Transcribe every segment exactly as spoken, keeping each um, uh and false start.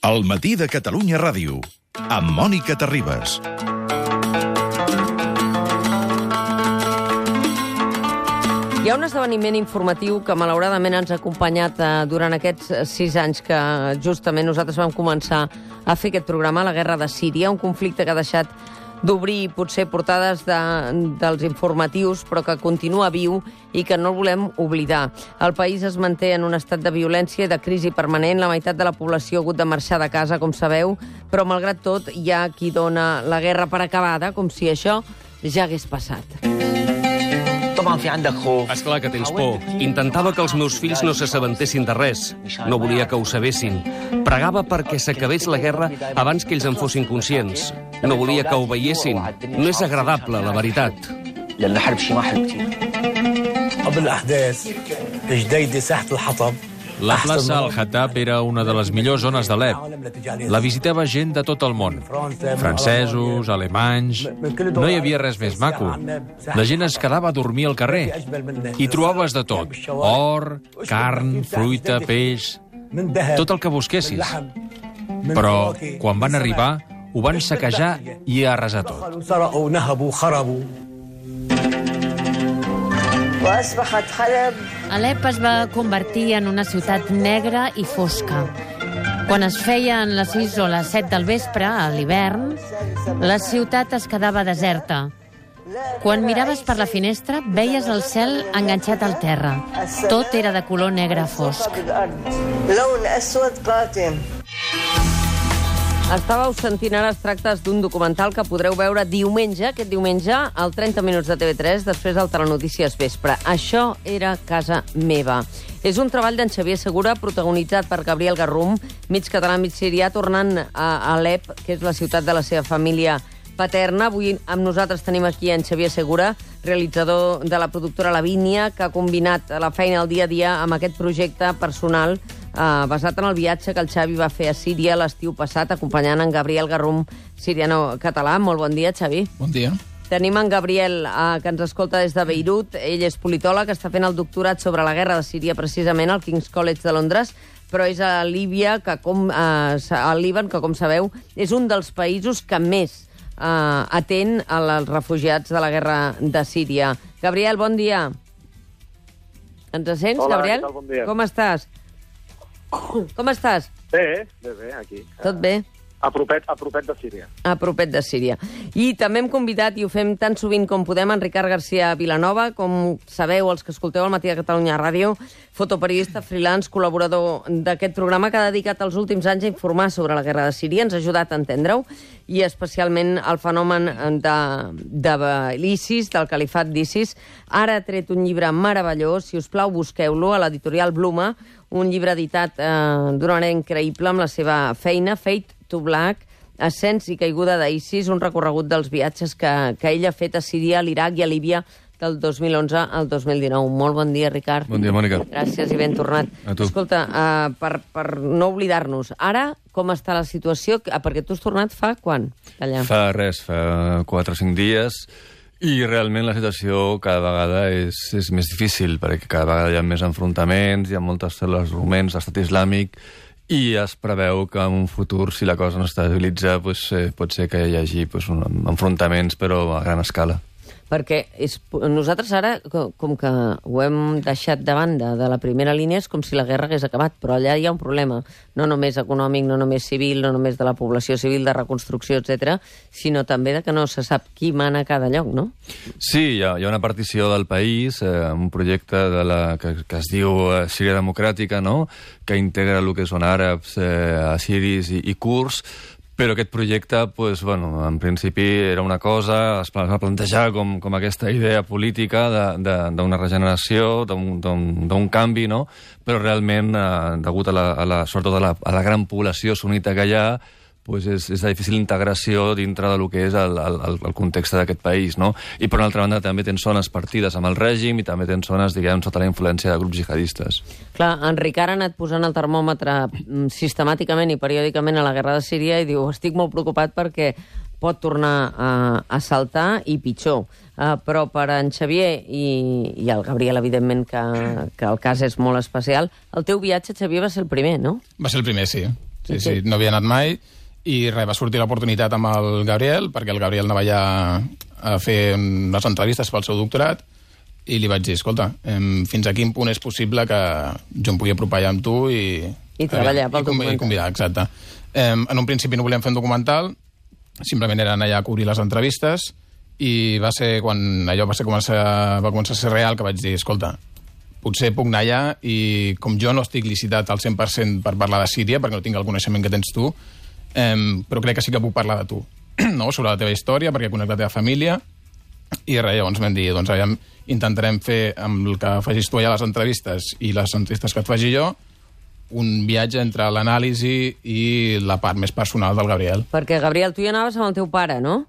El matí de Catalunya Ràdio, amb Mònica Terribas. Hi ha un esdeveniment informatiu que malauradament ens ha acompanyat eh, durant aquests sis anys que justament nosaltres vam començar a fer aquest programa, la guerra de Síria, un conflicte que ha deixat d'obrir potser portades de, dels informatius, però que continua viu i que no el volem oblidar. El país es manté en un estat de violència i de crisi permanent. La meitat de la població ha hagut de marxar de casa, com sabeu, però malgrat tot hi ha qui dona la guerra per acabada, com si això ja hagués passat. Esclar que tens por. Intentava que els meus fills no s'assabentessin de res. No volia que ho sabessin. Pregava perquè s'acabés la guerra abans que ells en fossin conscients. No volia que ho veiessin. No és agradable, la veritat. La plaça Al-Hatab era una de les millors zones d'Alep. La visitava gent de tot el món. Francesos, alemanys... No hi havia res més maco. La gent es quedava a dormir al carrer. Hi trobaves de tot. Or, carn, fruita, peix... Tot el que busquessis. Però, quan van arribar, ho van saquejar i arrasar tot. Alep es va convertir en una ciutat negra i fosca. Quan es feien les sis o les set del vespre, a l'hivern, la ciutat es quedava deserta. Quan miraves per la finestra, veies el cel enganxat al terra. Tot era de color negre fosc. Estàveu sentint ara extractes d'un documental que podreu veure diumenge, aquest diumenge, al trenta minuts de T V tres, després del Telenotícies Vespre. Això era casa meva. És un treball d'en Xavier Segura, protagonitzat per Gabriel Garrum, mig català, mig sirià, tornant a Alep, que és la ciutat de la seva família paterna. Avui amb nosaltres tenim aquí en Xavier Segura, realitzador de la productora Lavínia, que ha combinat la feina al dia a dia amb aquest projecte personal Uh, basat en el viatge que el Xavi va fer a Síria l'estiu passat, acompanyant en Gabriel Garrum, siriano-català. Molt bon dia, Xavi. Bon dia. Tenim en Gabriel, uh, que ens escolta des de Beirut. Ell és politòleg, està fent el doctorat sobre la guerra de Síria, precisament, al King's College de Londres, però és a Líbia, que com, uh, al Líban, que, com sabeu, és un dels països que més uh, atén als refugiats de la guerra de Síria. Gabriel, bon dia. Ens sents, Hola, Gabriel? què tal? Bon dia. Com estàs? Com estàs? Bé, bé, bé, aquí. Tot bé? A propet, a propet de Síria. A propet de Síria. I també hem convidat, i ho fem tan sovint com podem, en Ricard García Vilanova, com sabeu, els que escolteu al Matí de Catalunya Ràdio, fotoperiodista, freelance, col·laborador d'aquest programa, que ha dedicat els últims anys a informar sobre la guerra de Síria, ens ha ajudat a entendre-ho, i especialment el fenomen de, de l'ISIS, del califat d'ISIS. Ara ha tret un llibre meravellós, si us plau, busqueu-lo, a l'editorial Bluma, un llibre editat eh, d'una manera increïble amb la seva feina, Fade to Black, ascens i caiguda d'ISIS, un recorregut dels viatges que, que ell ha fet a Síria, a l'Iraq i a Líbia del dos mil onze al dos mil dinou. Molt bon dia, Ricard. Bon dia, Mònica. Gràcies i ben tornat. A tu. Escolta, uh, per, per no oblidar-nos, ara com està la situació? Ah, perquè tu has tornat fa quan? Allà? Fa res, fa quatre o cinc dies, i realment la situació cada vegada és, és més difícil, perquè cada vegada hi ha més enfrontaments, hi ha moltes cèl·lules ruments, l'estat islàmic, i es preveu que en un futur, si la cosa no s'estabilitza, pues, eh, pot ser que hi hagi pues, un, enfrontaments, però a gran escala. Perquè és, nosaltres ara, com que ho hem deixat de banda de la primera línia, és com si la guerra hagués acabat, però allà hi ha un problema, no només econòmic, no només civil, no només de la població civil, de reconstrucció, etcètera, sinó també de que no se sap qui mana a cada lloc, no? Sí, hi ha, hi ha una partició del país, eh, un projecte de la, que, que es diu eh, Síria Democràtica, no?, que integra el que són àrabs, eh, assiris i, i kurds, però aquest projecte, pues, bueno, en principi era una cosa, es va plantejar com, com aquesta idea política d'una regeneració, d'un canvi, no? Però realment, eh, degut a la, a la, sobretot a la, a la gran població sunita que hi ha, pues és, és de difícil integració dintre del que és el, el, el context d'aquest país, no? I per una altra banda també tens zones partides amb el règim i també tens zones, diguem, sota la influència de grups jihadistes. Clar, en Ricard ha anat posant el termòmetre sistemàticament i periòdicament a la guerra de Síria i diu, estic molt preocupat perquè pot tornar a, a saltar i pitjor. Uh, però per en Xavier i, i el Gabriel, evidentment, que, que el cas és molt especial, el teu viatge, Xavier, va ser el primer, no? Va ser el primer, sí. Sí, sí, no havia anat mai. I res, va sortir l'oportunitat amb el Gabriel, perquè el Gabriel anava allà a fer unes entrevistes pel seu doctorat, i li vaig dir, escolta, fins a quin punt és possible que jo em pugui apropar allà amb tu i... I treballar pel documental. I convidar, exacte. En un principi no volíem fer un documental, simplement eren allà a cobrir les entrevistes, i va ser quan allò va, ser començar, va començar a ser real que vaig dir, escolta, potser puc anar allà i com jo no estic licitat al cent per cent per parlar de Síria, perquè no tinc el coneixement que tens tu, Um, però crec que sí que puc parlar de tu, no? Sobre la teva història, perquè conec la teva família, i res, llavors vam dir, doncs aviam, intentarem fer amb el que facis tu allà les entrevistes i les entrevistes que et faci jo, un viatge entre l'anàlisi i la part més personal del Gabriel. Perquè, Gabriel, tu hi anaves amb el teu pare, no?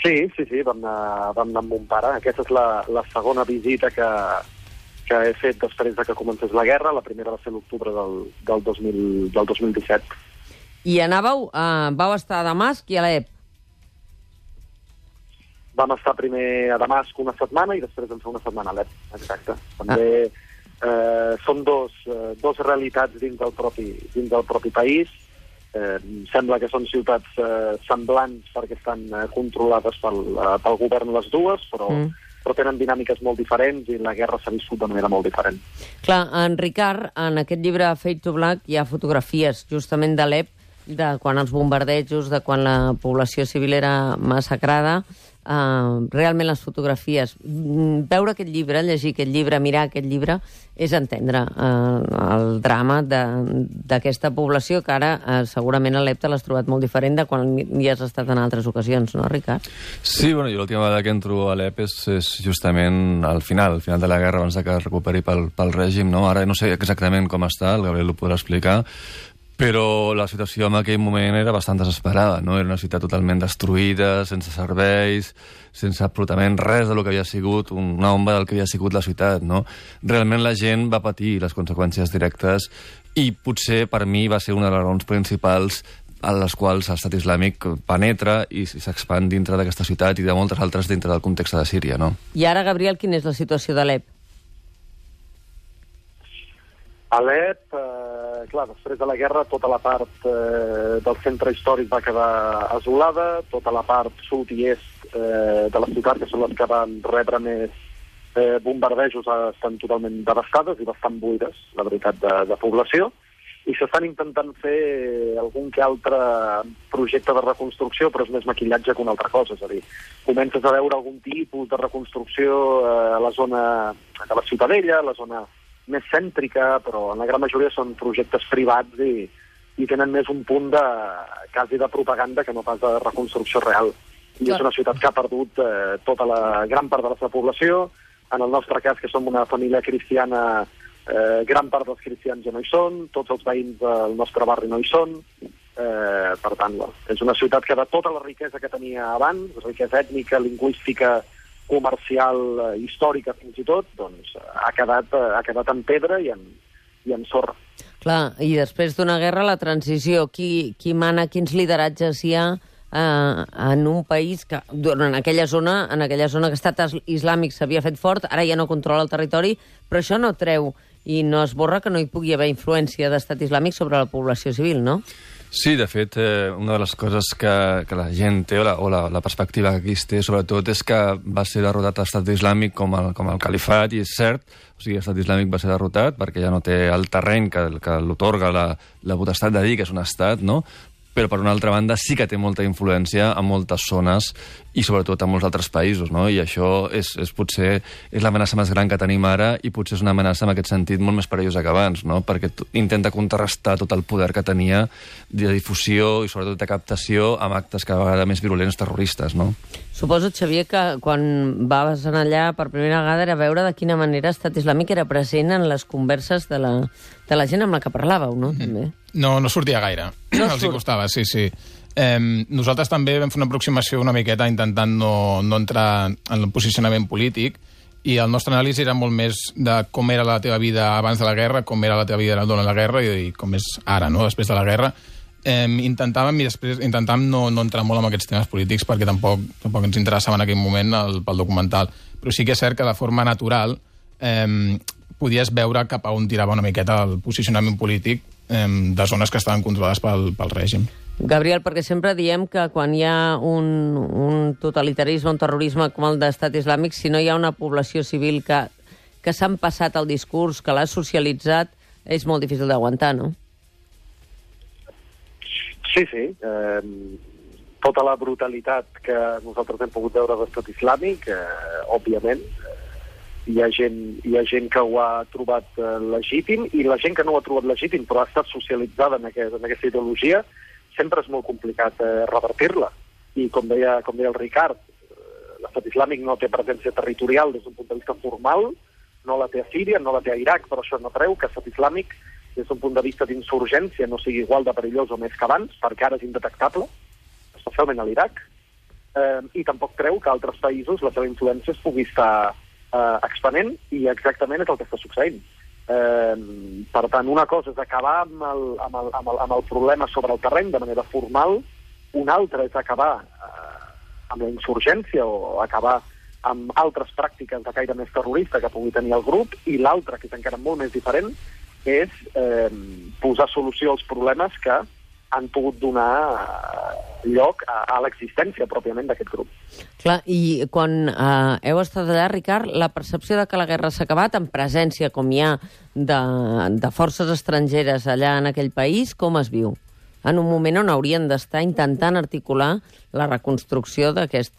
Sí, sí, sí, vam anar, vam anar amb mon pare. Aquesta és la, la segona visita que... que he fet després de que comencés la guerra. La primera va ser l'octubre del, del, dos mil, del dos mil disset. I anàveu, uh, vau estar a Damasc i a Alep. Vam estar primer a Damasc una setmana i després vam fer una setmana a Alep, exacte. També ah. eh, són dos, eh, dos realitats dins del propi, dins del propi país. Eh, sembla que són ciutats eh, semblants perquè estan eh, controlades pel, eh, pel govern les dues, però... Mm. però tenen dinàmiques molt diferents i la guerra s'ha viscut de manera molt diferent. Clar, en Ricard, en aquest llibre Fade to Black hi ha fotografies justament d'Alep, de quan els bombardejos, de quan la població civil era massacrada. Uh, realment les fotografies, veure aquest llibre, llegir aquest llibre, mirar aquest llibre, és entendre uh, el drama d'aquesta població que ara uh, segurament a Alep te l'has trobat molt diferent de quan hi has estat en altres ocasions, no, Ricard? Sí, bueno, jo l'última vegada que entro a Alep és, és justament al final, al final de la guerra, abans que es recuperi pel, pel règim, no? Ara no sé exactament com està, el Gabriel ho podrà explicar, però la situació en aquell moment era bastant desesperada, no? Era una ciutat totalment destruïda, sense serveis, sense absolutament res de lo que havia sigut, una ombra del que havia sigut la ciutat, no? Realment la gent va patir les conseqüències directes i potser per mi va ser una de les raons principals a les quals l'estat islàmic penetra i s'expand dintre d'aquesta ciutat i de moltes altres dintre del context de Síria, no? I ara, Gabriel, quina és la situació d'Alep? Alep, eh, clar, després de la guerra tota la part eh, del centre històric va quedar asolada, tota la part sud i est eh, de la ciutat, que són les que van rebre més eh, bombardejos, estan totalment devastades i bastant buides, la veritat, de, de població, i s'estan intentant fer algun que altre projecte de reconstrucció, però és més maquillatge que una altra cosa, és a dir, comences a veure algun tipus de reconstrucció eh, a la zona de la Ciutadella, a la zona més cèntrica, però en la gran majoria són projectes privats i, i tenen més un punt de, quasi de propaganda que no pas de reconstrucció real. I és una ciutat que ha perdut eh, tota la gran part de la seva població. En el nostre cas, que som una família cristiana, eh, gran part dels cristians ja no hi són, tots els veïns del nostre barri no hi són. Eh, per tant, és una ciutat que de tota la riquesa que tenia abans, riquesa ètnica, lingüística, comercial, eh, històrica fins i tot, doncs ha quedat, eh, ha quedat en pedra i en, i en sorra. Clar, i després d'una guerra, la transició, qui, qui mana, quins lideratges hi ha eh, en un país que, en aquella zona, en aquella zona que l'estat islàmic s'havia fet fort, ara ja no controla el territori, però això no treu i no esborra que no hi pugui haver influència d'estat islàmic sobre la població civil, no? Sí, de fet, eh, una de les coses que, que la gent té, o, la, o la, la perspectiva que aquí es té, sobretot, és que va ser derrotat l'estat islàmic com el, com el califat, i és cert, o sigui, l'estat islàmic va ser derrotat perquè ja no té el terreny que, que l'otorga la, la potestat de dir que és un estat, no? Però, per una altra banda, sí que té molta influència en moltes zones i, sobretot, en molts altres països, no? I això és, és potser és l'amenaça més gran que tenim ara i potser és una amenaça, en aquest sentit, molt més perillosa que abans, no? Perquè intenta contrarrestar tot el poder que tenia de difusió i, sobretot, de captació amb actes cada vegada més virulents terroristes, no? Suposo, Xavier, que quan vas anar allà per primera vegada era veure de quina manera l'estat islàmic era present en les converses de la, de la gent amb la que parlàveu, no? També. No, no sortia gaire. No Els hi costava, sí, sí. Eh, nosaltres també vam fer una aproximació una miqueta intentant no, no entrar en el posicionament polític i el nostre anàlisi era molt més de com era la teva vida abans de la guerra, com era la teva vida durant la guerra i, i com és ara, no?, després de la guerra. Eh, intentàvem, i després, intentàvem no, no entrar molt en aquests temes polítics perquè tampoc, tampoc ens interessava en aquell moment el, pel documental. Però sí que és cert que de forma natural, eh, podies veure cap a on tirava una miqueta el posicionament polític eh, de zones que estaven controlades pel, pel règim. Gabriel, perquè sempre diem que quan hi ha un, un totalitarisme, un terrorisme com el d'Estat Islàmic, si no hi ha una població civil que, que s'han passat el discurs, que l'ha socialitzat, és molt difícil d'aguantar, no? Sí, sí. Eh, tota la brutalitat que nosaltres hem pogut veure d'Estat Islàmic, eh, òbviament, eh, hi ha gent, hi ha gent que ho ha trobat eh, legítim, i la gent que no ho ha trobat legítim però ha estat socialitzada en, aquest, en aquesta ideologia, sempre és molt complicat eh, revertir-la. I com deia, com deia el Ricard, eh, l'Estat Islàmic no té presència territorial des d'un punt de vista formal, no la té a Síria, no la té a Iraq, però això no treu que l'Estat Islàmic, des d'un punt de vista d'insurgència, no sigui igual de perillós o més que abans, perquè ara és indetectable, especialment a l'Iraq, eh, i tampoc treu que altres països la seva influència es pugui estar eh, expanent, i exactament és el que està succeint. Eh, per tant, una cosa és acabar amb el, amb, el, amb, el, amb el problema sobre el terreny de manera formal, una altra és acabar eh, amb la insurgència o acabar amb altres pràctiques de caire més terrorista que pugui tenir el grup, i l'altra, que és encara molt més diferent, és eh, posar solució als problemes que han pogut donar lloc a, a l'existència pròpiament d'aquest grup. Clar, i quan eh, heu estat allà, Ricard, la percepció de que la guerra s'ha acabat, en presència com hi ha de, de forces estrangeres allà en aquell país, com es viu? En un moment on haurien d'estar intentant articular la reconstrucció d'aquest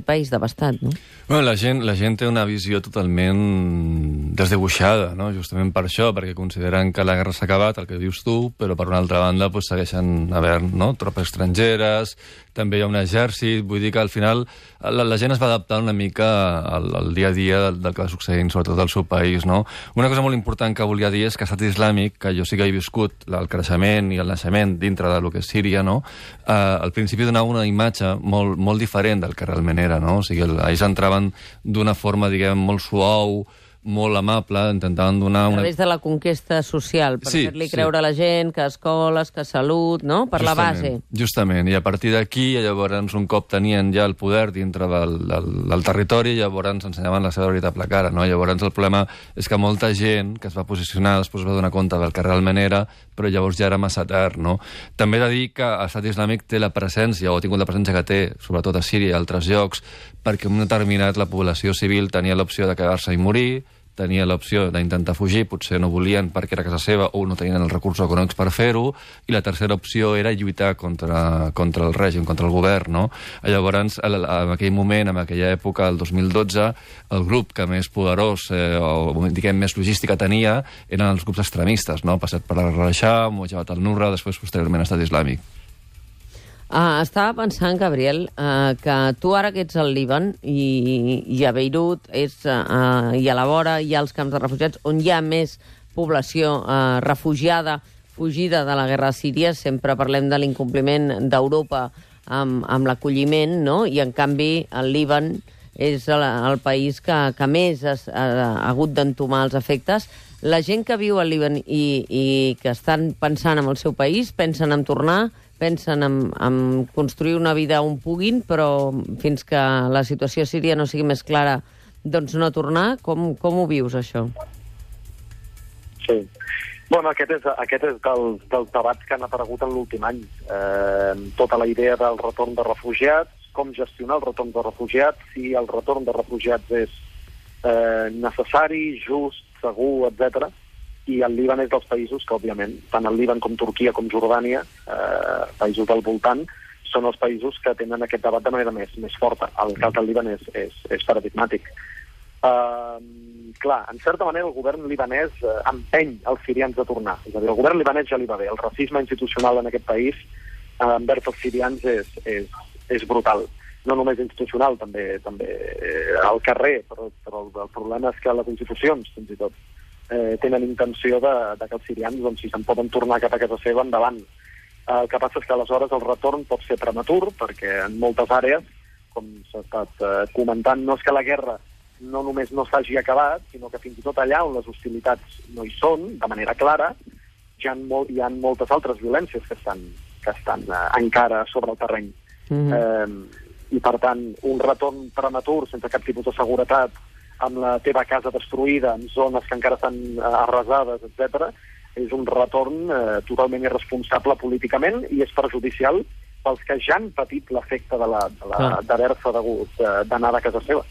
país devastat, no? Bueno, la gent, la gent té una visió totalment desdibuixada, no? Justament per això, perquè consideren que la guerra s'ha acabat, el que dius tu, però per una altra banda pues, segueixen havent, no? Tropes estrangeres, també hi ha un exèrcit, vull dir que al final la, la gent es va adaptar una mica al, al dia a dia del, del que va succeint, sobretot al seu país, no? Una cosa molt important que volia dir és que l'Estat Islàmic, que jo sí que he viscut el creixement i el naixement dintre del que és Síria, no? Eh, al principi donava una imatge molt, molt diferent del que realment era, no? O sigui, ells entraven d'una forma, diguem, molt suau, molt amable, intentaven donar... Una... A través de la conquesta social, per sí, fer-li sí. creure a la gent que escoles, que salut, no? Per justament, la base. Justament, i a partir d'aquí, llavors, un cop tenien ja el poder dintre del, del, del territori, llavors ens ensenyaven la seva veritable cara, no? Llavors el problema és que molta gent que es va posicionar després va donar compte del que realment era, però llavors ja era massa tard, no? També he de dir que l'Estat Islàmic té la presència, o ha tingut la presència que té, sobretot a Síria i altres llocs, perquè en un determinat la població civil tenia l'opció de quedar-se i morir, tenia l'opció d'intentar fugir, potser no volien perquè era casa seva o no tenien els recursos econòmics per fer-ho, i la tercera opció era lluitar contra, contra el règim, contra el govern, no? Llavors, en aquell moment, en aquella època, el dos mil dotze, el grup que més poderós, eh, o diguem, més logística tenia, eren els grups extremistes, no? Passat per la Rajah, Mujabat al-Nusra, després posteriorment Estat Islàmic. Ah, estava pensant, Gabriel, eh, que tu ara que ets al Líban i, i a Beirut és, eh, i a la vora hi ha els camps de refugiats on hi ha més població eh, refugiada, fugida de la guerra a Síria, sempre parlem de l'incompliment d'Europa amb, amb l'acolliment, no? I en canvi el Líban és el, el país que, que més has, ha, ha hagut d'entomar els efectes. La gent que viu al Líban i, i que estan pensant en el seu país, pensen en tornar, pensen en, en construir una vida on puguin, però fins que la situació a Síria no sigui més clara, doncs no tornar. Com, com ho vius, això? Sí. Bueno, aquest és, aquest és dels, dels debats que han aparegut en l'últim any. Eh, tota la idea del retorn de refugiats, com gestionar el retorn de refugiats, si el retorn de refugiats és eh, necessari, just, segur, etcètera. I el Líban és dels països que, òbviament, tant el Líban com Turquia com Jordània, eh, països del voltant, són els països que tenen aquest debat de manera més, més forta. El cas del Líban és, és, és paradigmàtic. Uh, clar, en certa manera el govern libanès uh, empeny els sirians a tornar. És a dir, el govern libanès ja li va bé. El racisme institucional en aquest país uh, envers els sirians és, és, és brutal. No només institucional, també, també eh, al carrer, però, però el problema és que les institucions, fins i tot, Eh, tenen intenció de, de que els sirians, doncs, si se'n poden tornar cap a casa seva, endavant. Eh, el que passa és que aleshores el retorn pot ser prematur, perquè en moltes àrees, com s'ha estat eh, comentant, no és que la guerra no només no s'hagi acabat, sinó que fins i tot allà on les hostilitats no hi són, de manera clara, hi ha, molt, hi ha moltes altres violències que estan, que estan eh, encara sobre el terreny. Mm-hmm. eh, I, per tant, un retorn prematur, sense cap tipus de seguretat, amb la teva casa destruïda, en zones que encara estan arrasades, etcètera, és un retorn eh, totalment irresponsable políticament i és perjudicial pels que ja han patit l'efecte de la, de la, ah. d'haver-se degut d'anar de casa seva.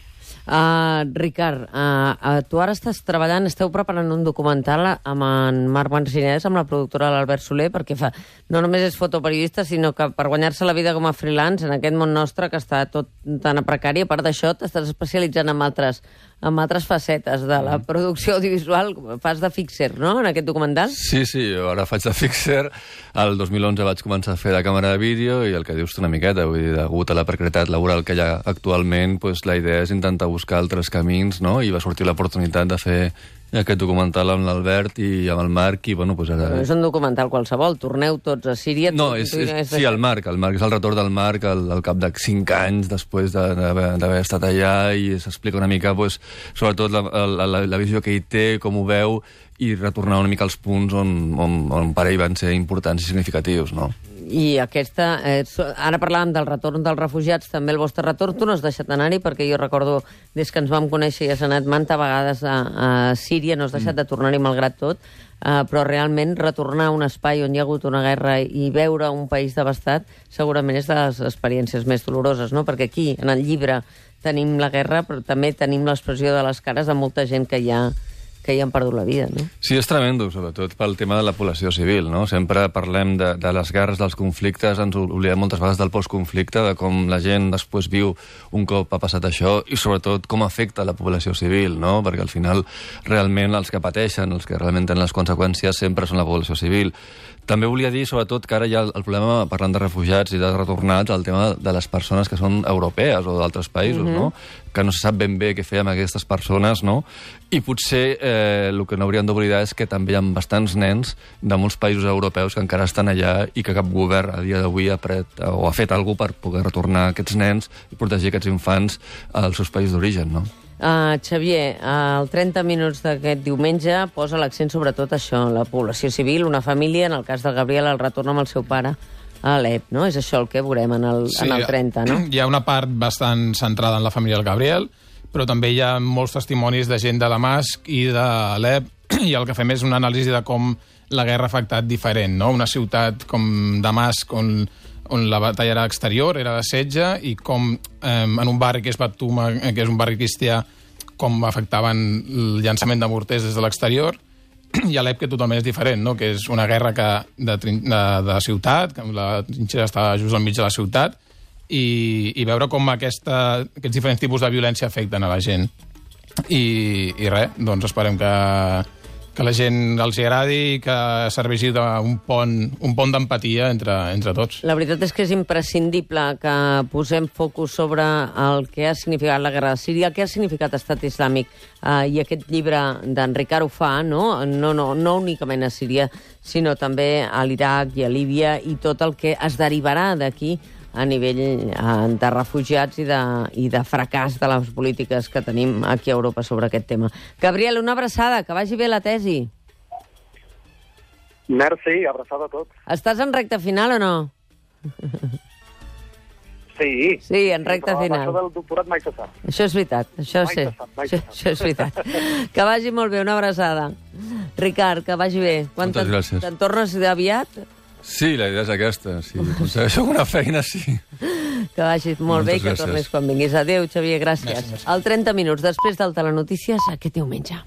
Uh, Ricard, uh, uh, tu ara estàs treballant, esteu preparant un documental amb en Marc Mancinès, amb la productora l'Albert Soler, perquè fa, no només és fotoperiodista, sinó que per guanyar-se la vida com a freelance en aquest món nostre que està tot tan a precari, a part d'això t'estàs especialitzant en altres, en altres facetes de la producció audiovisual. Fas de fixer, no?, en aquest documental? Sí, sí, jo ara faig de fixer. El dos mil onze vaig començar a fer de càmera de vídeo i el que dius tu una miqueta, vull dir, degut a la precarietat laboral que hi ha actualment, pues, la idea és intentar buscar altres camins, no?, i va sortir l'oportunitat de fer aquest documental amb l'Albert i amb el Marc, i bueno, pues ara... No és un documental qualsevol, torneu tots a Síria... No, és, és, sí, el Marc, el Marc és el retorn del Marc al, al cap de cinc anys després d'haver estat allà, i s'explica una mica, pues, sobretot la, la, la, la visió que ell té, com ho veu, i retornar una mica als punts on, on, on per ell van ser importants i significatius, no? I aquesta... Eh, ara parlàvem del retorn dels refugiats, també el vostre retorn. Tu no has deixat anar-hi, perquè jo recordo, des que ens vam conèixer i has anat manta vegades a, a Síria, no has deixat mm. de tornar-hi malgrat tot, eh, però realment retornar a un espai on hi ha hagut una guerra i veure un país devastat segurament és de les experiències més doloroses, no? Perquè aquí, en el llibre, tenim la guerra, però també tenim l'expressió de les cares de molta gent que hi ha que hi han perdut la vida, no? Sí, és tremendo, sobretot pel tema de la població civil, no? Sempre parlem de, de les guerres, dels conflictes, ens oblidem moltes vegades del postconflicte, de com la gent després viu un cop ha passat això, i sobretot com afecta la població civil, no? Perquè al final, realment, els que pateixen, els que realment tenen les conseqüències, sempre són la població civil. També volia dir, sobretot, que ara hi ha el problema, parlant de refugiats i de retornats, el tema de les persones que són europees o d'altres països, mm-hmm. no? Que no se sap ben bé què fer amb aquestes persones, no? I potser eh, el que no hauríem d'oblidar és que també hi ha bastants nens de molts països europeus que encara estan allà i que cap govern a dia d'avui ha, pret, o ha fet alguna cosa per poder retornar aquests nens i protegir aquests infants als seus països d'origen, no? Uh, Xavier, uh, el trenta minuts d'aquest diumenge posa l'accent sobre tot això, la població civil, una família, en el cas del Gabriel, el retorn amb el seu pare a Alep, no? És això el que veurem en el, sí, en el trenta, no? Hi ha una part bastant centrada en la família del Gabriel, però també hi ha molts testimonis de gent de Damasc i d'Alep, i el que fem és una anàlisi de com la guerra ha afectat diferent, no? Una ciutat com Damasc, on, on la batalla era exterior, era de setge, i com eh, en un barri que és Batuma, que és un barri cristià, com afectaven el llançament de morters des de l'exterior, i Alep, que totalment és diferent, no? Que és una guerra que de, de, de ciutat, que la trinxera està just al mig de la ciutat, i, i veure com aquesta, aquests diferents tipus de violència afecten a la gent. I, i res, doncs esperem que, que la gent els hi agradi i que serveixi d'un pont, un pont d'empatia entre, entre tots. La veritat és que és imprescindible que posem focus sobre el que ha significat la guerra de Síria, el que ha significat Estat Islàmic, eh, i aquest llibre d'en Ricard ho fa, no? No, no, no únicament a Síria, sinó també a l'Iraq i a Líbia, i tot el que es derivarà d'aquí a nivell eh, de refugiats i de, i de fracàs de les polítiques que tenim aquí a Europa sobre aquest tema. Gabriel, una abraçada, que vagi bé la tesi. Merci, abraçada a tots. Estàs en recta final o no? Sí. Sí, en recta sí, final. Això del doctorat mai se sap. Això és veritat, això mai sé. Se sap, mai això, se sap. això és veritat. Que vagi molt bé, una abraçada. Ricard, que vagi bé. Quan Moltes gràcies. Te'n tornes aviat? Sí, la idea és aquesta. Si aconsegueixo una feina, sí. Que vagis molt Moltes bé i que gràcies. tornis quan vinguis. Adéu, Xavier, gràcies. Gràcies. Al trenta minuts després del Telenotícies aquest diumenge.